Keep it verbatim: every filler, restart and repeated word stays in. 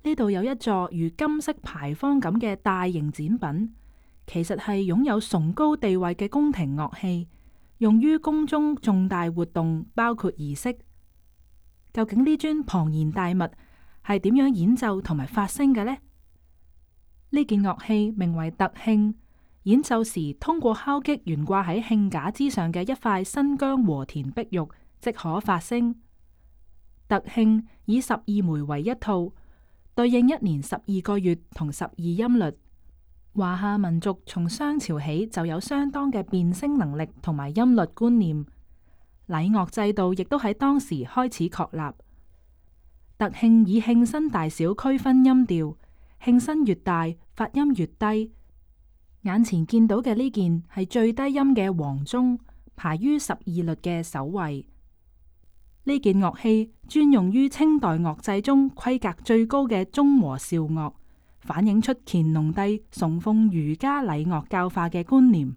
呢度有一座如金色牌坊咁嘅大型展品，其實係擁有崇高地位嘅宮廷樂器，用於宮中重大活動，包括儀式。究竟呢尊龐然大物係點樣演奏同埋發聲嘅呢？呢件樂器名為特磬，演奏時通過敲擊懸掛喺磬架之上嘅一塊新疆和田碧玉，即可發聲。特磬以十二枚為一套，對應一年十二個月同十二音律。華夏民族從商朝起就有相當嘅辨聲能力同埋音律觀念，禮樂制度亦都喺當時開始確立。特磬以磬身大小區分音調，磬身越大，發音越低。眼前見到嘅呢件係最低音嘅黃鐘，排於十二律嘅首位。呢件樂器專用於清代樂制中規格最高嘅中和韶樂，反映出乾隆帝崇奉儒家禮樂教化嘅觀念。